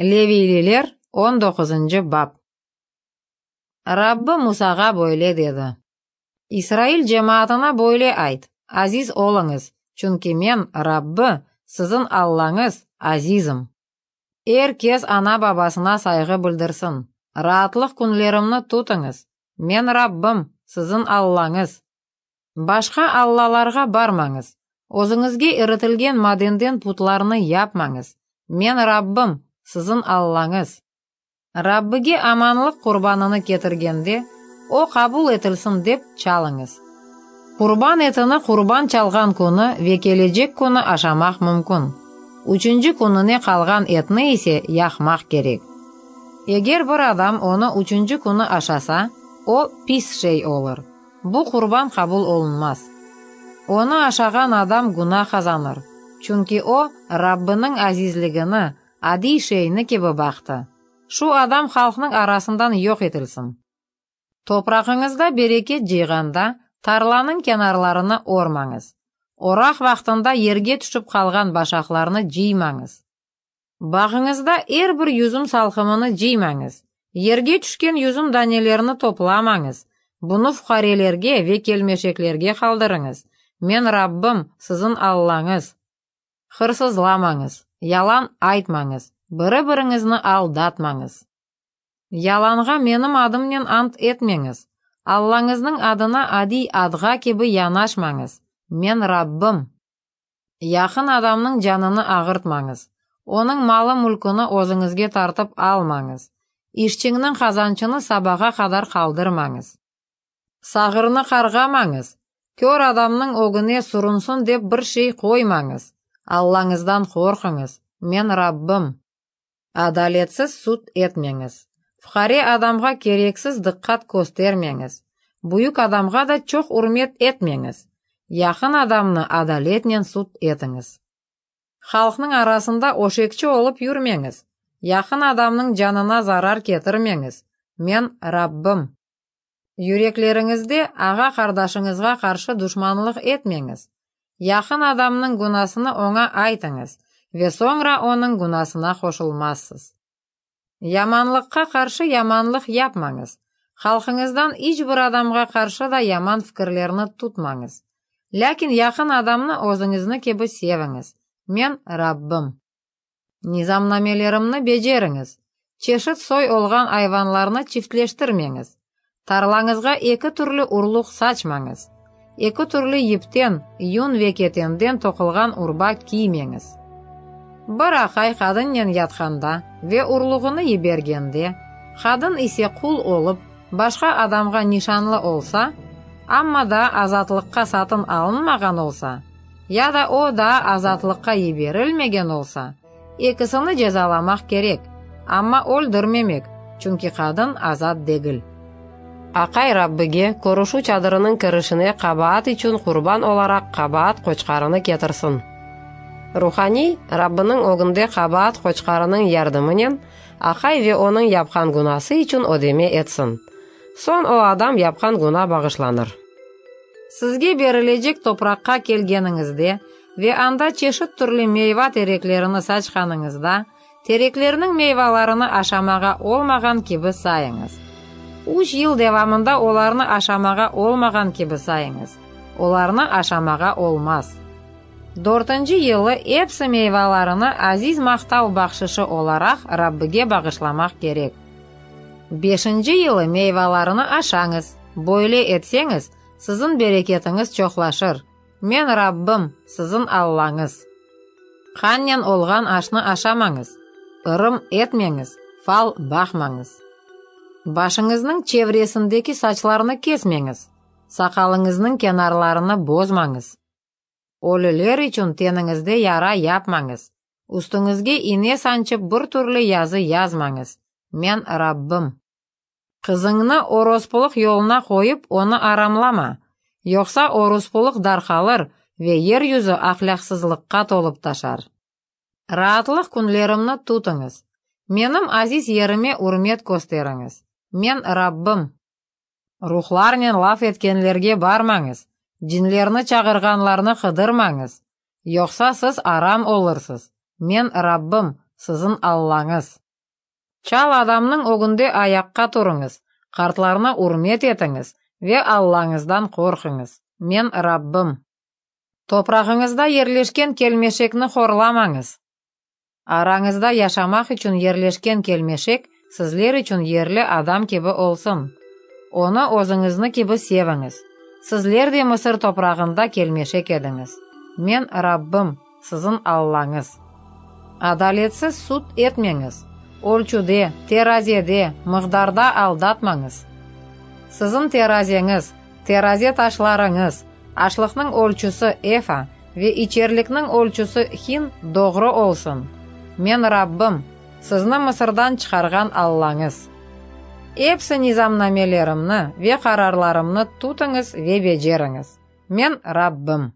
Leviyliler, on doquzıncı bap. Rabbi Musağa böyle dedi, İsrail cemaatına böyle ayt, Aziz oluñız, çünki Men, Rabbi, siziñ Allañız, azizim. Er kes ana-babasına sayğı bildirsin. Raatlıq künlerimni tutıñız. Men, Rabbim, siziñ Allañız. Başqa allalarğa barmañız, özüñizge iritilgen madenden putlarnı yapmañız. Men Rabbim, siziñ Allañız. Rabbige amanlıq qurbanını ketirgende, o qabul etilsin dep, çalıñız. Qurban etini qurban çalğan künü ve kelecek künü aşamaq mümkün. Üçünci kününe qalğan etni ise yaqmaq kerek. Eger bir adam onı üçünci künü aşasa, o pis şey olur. Bu qurban qabul olunmaz. Onı aşağan adam günâ qazanır, çünki o, Rabbiniñ azizligini adiy şeyni kibi baqtı. Şu adam halqnıñ arasından yoq etilsin. Toprağıñızda bereket cıyğanda, tarlanıñ kenarlarını ormañız. Oraq vaqtında yerge tüşip qalğan başaqlarnı cıymañız. Bağıñızda er bir yüzüm salqımını cıymañız, yerge tüşken yüzüm danelerini toplamañız, bunı fuqarelerge ve kelmeşeklerge qaldırıñız. Men Rabbim, siziñ Allañız. Hırsızlamañız, yalan aytmañız, biri-biriñizni aldatmañız. Yalanğa Menim adımnen ant etmeñiz, Allañıznıñ adına adiy adğa kibi yanaşmañız. Men Rabbim. Yaqın adamnıñ canını ağırtmañız, onıñ malı-mülküni özüñizge tartıp almañız, işçiñniñ qazançını sabağa qadar qaldırmañız. Sağırnı qarğamañız, kör adamnıñ ögüne surunsın dep bir şey qoymañız, Allañızdan qorquñız, Men Rabbim. Adaletsiz sud etmeñiz, fuqare adamğa kereksiz diqqat köstermeñiz, büyük adamğa da çoq ürmet etmeñiz, yaqın adamnı adaletnen sud etiñiz. Halqnıñ arasında öşekçi olıp yürmeñiz, yaqın adamnıñ canına zarar ketirmeñiz, Men, Rabbim. Yürekleriñizde ağa-qardaşıñızğa qarşı duşmanlıq etmeñiz. Yaqın adamnıñ günasını oña aytıñız ve soñra onıñ günasına qoşulmazsız. Yamanlıqqa qarşı yamanlıq yapmañız, halqıñızdan iç bir adamğa qarşı da yaman fikirlerni tutmañız. Lâkin yaqın adamnı özüñizni kibi seviñiz. Men, Rabbim. Nizamnamelerimni beceriñiz, çeşit soy olğan ayvanlarnı çiftleştirmeñiz, tarlañızğa eki türlü urluq saçmañız, eki türlü yipten, yün ve ketenden toqulğan urba kiymeñiz. Bir aqay qadınnen yatqanda ve urluğını yibergende, qadın ise qul olıp, başqa adamğa nişanlı olsa, amma daa azatlıqqa satın alınmağan olsa, ya da o daa azatlıqqa yiberilmegen olsa, ekisini cezalamaq kerek, amma öldürmemek, çünki qadın azat degil. Aqay Rabbige körüşüv çadırınıñ kirişine qabaat içün qurban olaraq qabaat qoçqarını ketirsin. Ruhaniy, Rabbiniñ ögünde qabaat qoçqarınıñ yardımınen aqay ve onıñ yapqan günası içün ödeme etsin. Soñ o adam yapqan güna bağışlanır. Sizge berilecek topraqqa kelgeniñizde ve anda çeşit türlü meyva tereklerini saçqanıñızda, tereklerniñ meyvalarını aşamağa olmağan kibi sayıñız. Üç yıl devamında olarnı aşamağa olmağan kibi sayıñız. Olarnı aşamağa olmaz. Dörtünci yılı epsi meyvalarını aziz maqtav bahşışı olaraq Rabbige bağışlamaq kerek. Beşinci yılı meyvalarını aşañız, böyle etseñiz, siziñ bereketiñiz çoqlaşır. Men Rabbim, siziñ Allañız. Qannen olğan aşnı aşamañız, ırım etmeñiz, fal baqmañız. Başıñıznıñ çevresindeki saçlarnı kesmeñiz, saqalıñıznıñ kenarlarını bozmañız. Ölüler içün teniñizde yara yapmañız, üstüñizge ine sançıp bir türlü yazı yazmañız. Men Rabbim. Qızıñnı orospulıq yoluna qoyıp, onı aramlama, yoqsa orospulıq darqalır ve yer yüzü ahlâqsızlıqqa tolıp taşar. Raatlıq künlerimni tutıñız, menim aziz yerime ürmet kösteriñiz. Men Rabbim. Ruhlarnen laf etkenlerge barmañız, cinlerni çağırğanlarnı qıdırmañız, yoqsa siz aram olursız. Men Rabbim, siziñ Allañız. Çal adamnıñ ögünde ayaqqa turıñız, qartlarnı ürmet etiñiz ve Allañızdan qorquñız. Men, Rabbim. Toprağıñızda yerleşken kelmeşekni horlamañız. Arañızda yaşamaq içün yerleşken kelmeşek sizler içün yerli adam kibi olsun. Onı özüñizni kibi seviñiz. Sizler de Mısır toprağında kelmeşek ediñiz. Men, Rabbim, siziñ Allañız. Adaletsiz sud etmeñiz, ölçüde, terazede, mıqdarda aldatmañız. Siziñ terazeñiz, teraze taşlarıñız, aşlıqnıñ ölçüsi efa ve içerlikniñ ölçüsi hin doğru olsun. Men Rabbim, sizni Mısırdan çıqarğan Allañız. Epsi nizamnamelerimni ve qararlarımnı tutıñız ve beceriñiz. Men Rabbim.